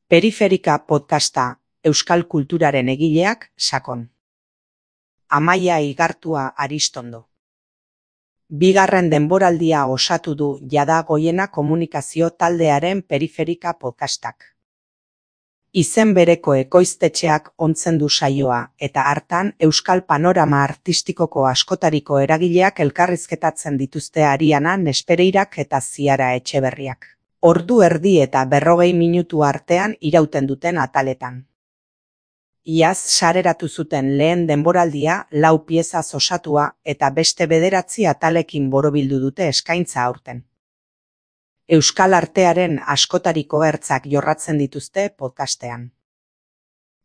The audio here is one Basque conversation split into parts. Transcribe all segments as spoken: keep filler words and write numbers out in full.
Periferika podcasta, euskal kulturaren egileak sakon. Amaia Igartua Aristondo. Bigarren denboraldia osatu du jada Goiena komunikazio taldearen Periferika podcastak. Izen bereko ekoiztetxeak ontzen du saioa eta hartan euskal panorama artistikoko askotariko eragileak elkarrizketatzen dituzte Ariana Nespereirak eta Ziara Etxeberriak. Ordu erdi eta berrogei minutu artean irauten duten ataletan. Iaz sareratu zuten lehen denboraldia lau piezaz osatua eta beste bederatzi atalekin borobildu dute eskaintza aurten. Euskal artearen askotariko ertzak jorratzen dituzte podcastean.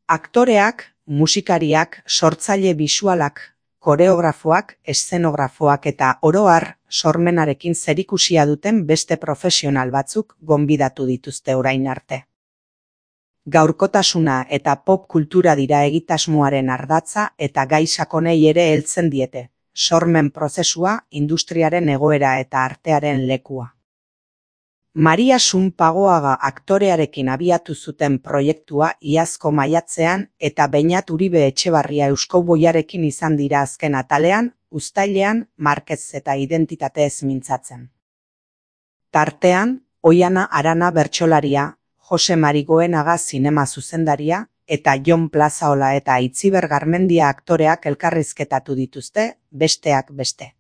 Aktoreak, musikariak, sortzaile bisualak, koreografoak, eszenografoak eta oro har sormenarekin zerikusia duten beste profesional batzuk gonbidatu dituzte orain arte. Gaurkotasuna eta pop kultura dira egitasmoaren ardatza eta gai sakonei ere heltzen diete, sormen prozesua, industriaren egoera eta artearen lekua. Maria Sunpagoaga aktorearekin abiatu zuten proiektua iazko maiatzean eta Beñat Uribe Etxebarria Euskouboiarekin izan dira azken atalean, uztailean, Markez eta identitatez mintzatzen. Tartean, Oiana Arana bertsolaria, Jose Marigoenaga zinema zuzendaria eta Jon Plazaola eta Itziber Garmendia aktoreak elkarrizketatu dituzte, besteak beste.